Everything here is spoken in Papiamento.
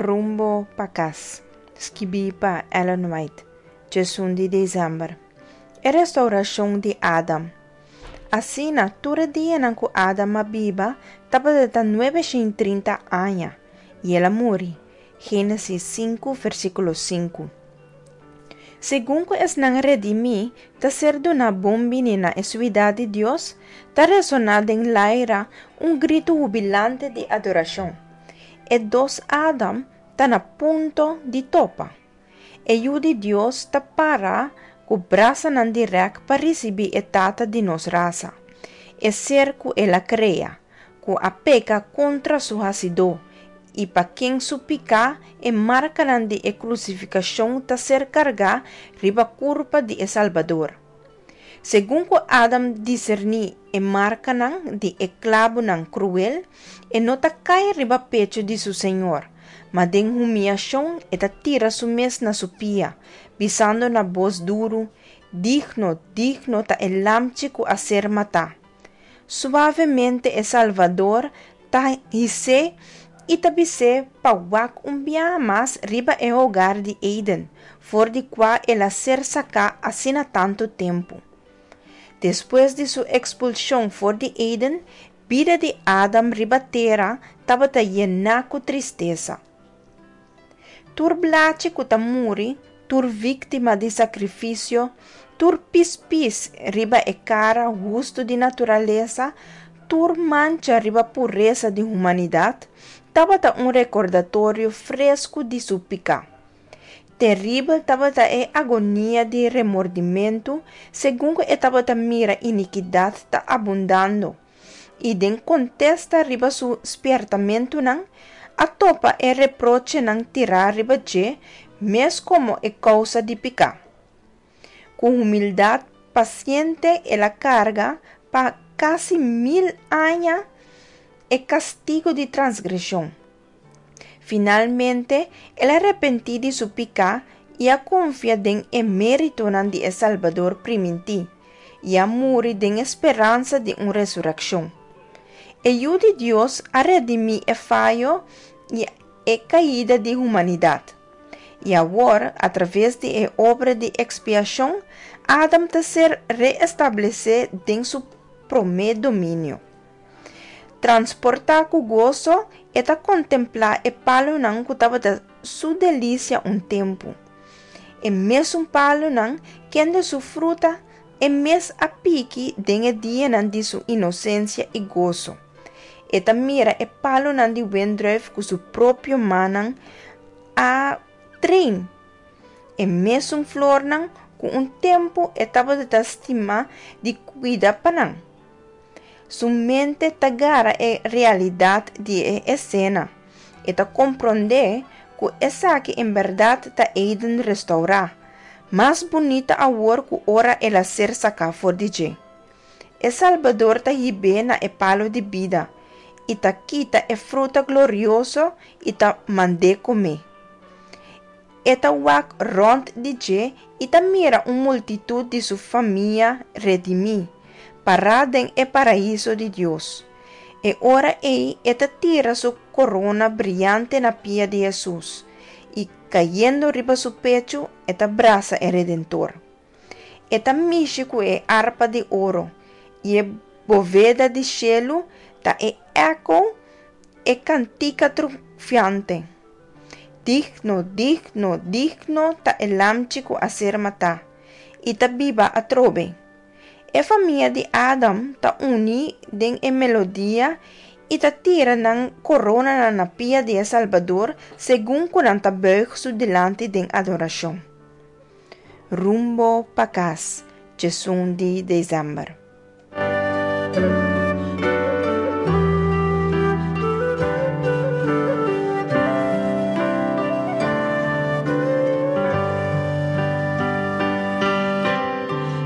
Rumbo pa kas, skibí pa Ellen White, 11 di desèmber. E restourashon di Adam. Asina, tur e dianan ku Adam a biba tabata 930 aña, i el a muri. Génesis 5, versíkulo 5. Segun ku esnan redimí ta ser duná bon bini na e siudat di Dios, ta resoná den laira un gritu hubilante di adorashon. E dos Adam ta na punto di topa. E Yu di Dios ta para ku brasanan di rèk pa risibí e tata di nos rasa, e ser ku el a krea, ku a peka kontra su Hasidó, i pa ken su piká e markanan di e krusifikashon ta ser kargá riba kurpa di e Salbador. Segun ku Adam diserní e markanan di e klabunan kruel, e no ta kai riba pechu di su Señor, ma den humiashon e ta tira su mes na su pia, bisando na bos duru, Digno, digno ta e Lamchi ku a ser matá. Suavemente e Salvador ta his'é i ta bis'é pa wak un biaha mas riba e hogar di Eden, for di kua el a ser saká asina tantu tempu. Despues di su ekspulshon for di Eden, bida di Adam riba tera tabata yená ku tristesa. Tur blachi ku ta muri, tur víktima di sakrifisio, tur pispis riba e kara hustu di naturalesa, tur mancha riba puresa di humanidat, tabata un rekordatorio fresku di su piká. Teribel tabata e agonia di remordimentu segun ku e tabata mira inikidat ta abundando, i den kontesta riba su spièrtamentunan, a topa e reprochenan tirá riba dje mes komo e kousa di piká. Ku humildat pasiente el a karga pa kasi mil aña e kastigu di transgreshon. Finalmente, el a repentí di su piká i a konfia den e méritonan di e Salbador primintí, i a muri den e speransa di un resurekshon. E Yu di Dios a redimí e fayo i e kaida di humanidat. I awor, atraves di e obra di ekspiashon, Adam ta ser reestablesé den su promé dominio. Transportá ku goso, e ta kontemplá e palunan ku tabata su delisia un tempu. E mesun palunan kende su fruta e mes a piki den e dianan di su inosensia i goso. E ta mira e palunan di wendrùif ku su propio mannan a train. E mesun flornan ku un tempu e tabata ta stima di kuida pa nan. Su mente ta gara e realidat di e esena. E ta komprondé ku esaki en bèrdat ta Eden restourá, mas bunita awor ku ora el a ser saká for di dje. E Salbador ta hib'é na e palu di bida i ta kita e fruta glorioso i ta mand'é komé. E ta wak rònt di dje i ta mira un multitut di su famia redimí, pará den e paraiso di Dios. E ora ei e ta tira su korona briante na pia di Hesus, i kayendo riba su pechu e ta brasa e Redentor. E ta mishi ku e arpa di oro, i e boveda di shelu ta e eko e kantika triunfante, Digno, digno, digno ta e Lamchi ku a ser matá, i ta biba atrobe. E famia di Adam ta uní den e melodia i ta tira nan koronanan na pia di e Salbador segun ku nan ta bùig su dilanti den adorashon. Rumbo pa kas, 11 di desèmber.